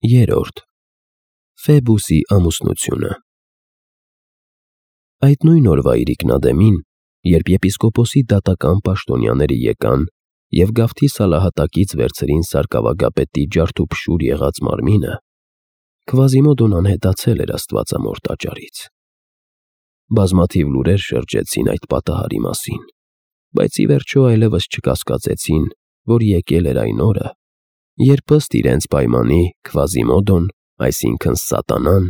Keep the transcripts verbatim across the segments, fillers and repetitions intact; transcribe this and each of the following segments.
Երրորդ. Ֆեբուսի ամուսնությունը։ Այդ նույն օրվա իրիկնադեմին, երբ եպիսկոպոսի դատական պաշտոնյաները եկան և գավթի սալահատակից վերցրին սարկավագապետի ջարդուփշուր եղած մարմինը, Քվազիմոդոն անհետացել էր Աստվածամոր տաճարից։ Բազմաթիվ լուրեր շրջեցին այդ պատահարի մասին, բայց ի վերջո այլևս չկասկածեցին, որ եկել էր այն օրը, երբ ըստ իրենց պայմանի Քվազիմոդոն, այսինքն սատանան,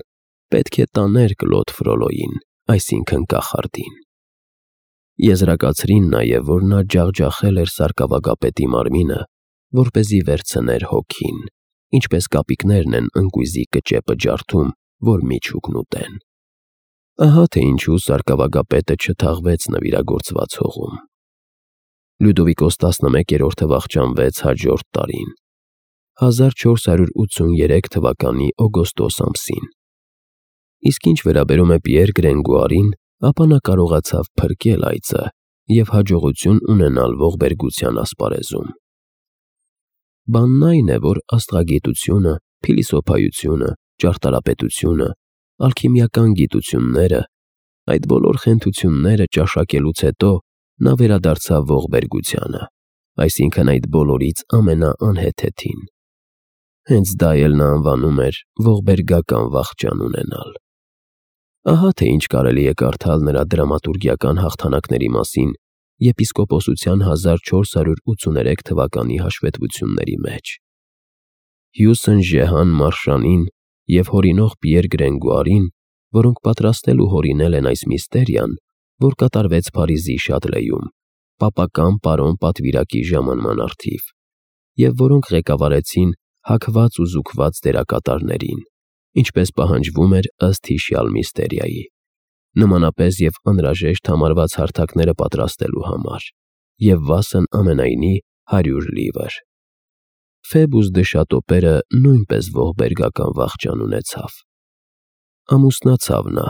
պետք է տաներ Կլոդ Ֆրոլոյին, այսինքն կախարդին։ Եզրակացրին նաև, որ նա ջախջախել էր սարկավագապետի մարմինը, որպեսզի վերցներ հոգին, ինչպես կապիկներն են ընկույզի կճեպը ջարդում, որ միջուկն ուտեն։ Ահա թե ինչու սարկավագապետը չթաղվեց նվիրագործված հողում։ Լյուդովիկոս տասնմեկերորդը վախճանվեց հաջորդ տարին, հազար չորս հարյուր ութսուներեք թվականի օգոստոս ամսին։ Իսկ ինչ վերաբերում է Պիեր Գրենգուարին, ապա նա կարողացավ փրկել այծը և հաջողություն ունենալ ողբերգության ասպարեզում։ Բանն այն է, որ աստղագիտությունը, փիլիսոփայությունը, ճարտարապետությունը, ալքիմիական գիտությունները, այդ բոլոր խենթությունները ճաշակելուց հետո նա վերադարձավ ողբերգությանը, այսինքն այդ բոլորից ամենաանհեթեթին։ Հենց դա էլ նա անվանում էր ողբերգական վախճան ունենալ։ Ահա թե ինչ կարելի է կարդալ նրա դրամատուրգիական հաղթանակների մասին եպիսկոպոսության հազար չորս հարյուր ութսուներեք թվականի հաշվետվությունների մեջ։ Հյուսն Ժեհան Մարշանին և հորինող Պիեր Գրենգուարին, որոնք պատրաստել ու հորինել են այս միստերիան, որ կատարվեց Փարիզի Շատլեյում, պապական պարոն պատվիրակի ժամանման առթիվ, և որոնք ղեկավարեցին հագված ու զուգված դերակատարներին, ինչպես պահանջվում էր ըստ հիշյալ միստերիայի, նմանապես և անհրաժեշտ համարված հարթակները պատրաստելու համար, և վասն ամենայնի հարյուր լիվր։ Ֆեբուս դը Շատոպերը նույնպես ողբերգական վախճան ունեցավ։ Ամուսնացավ նա,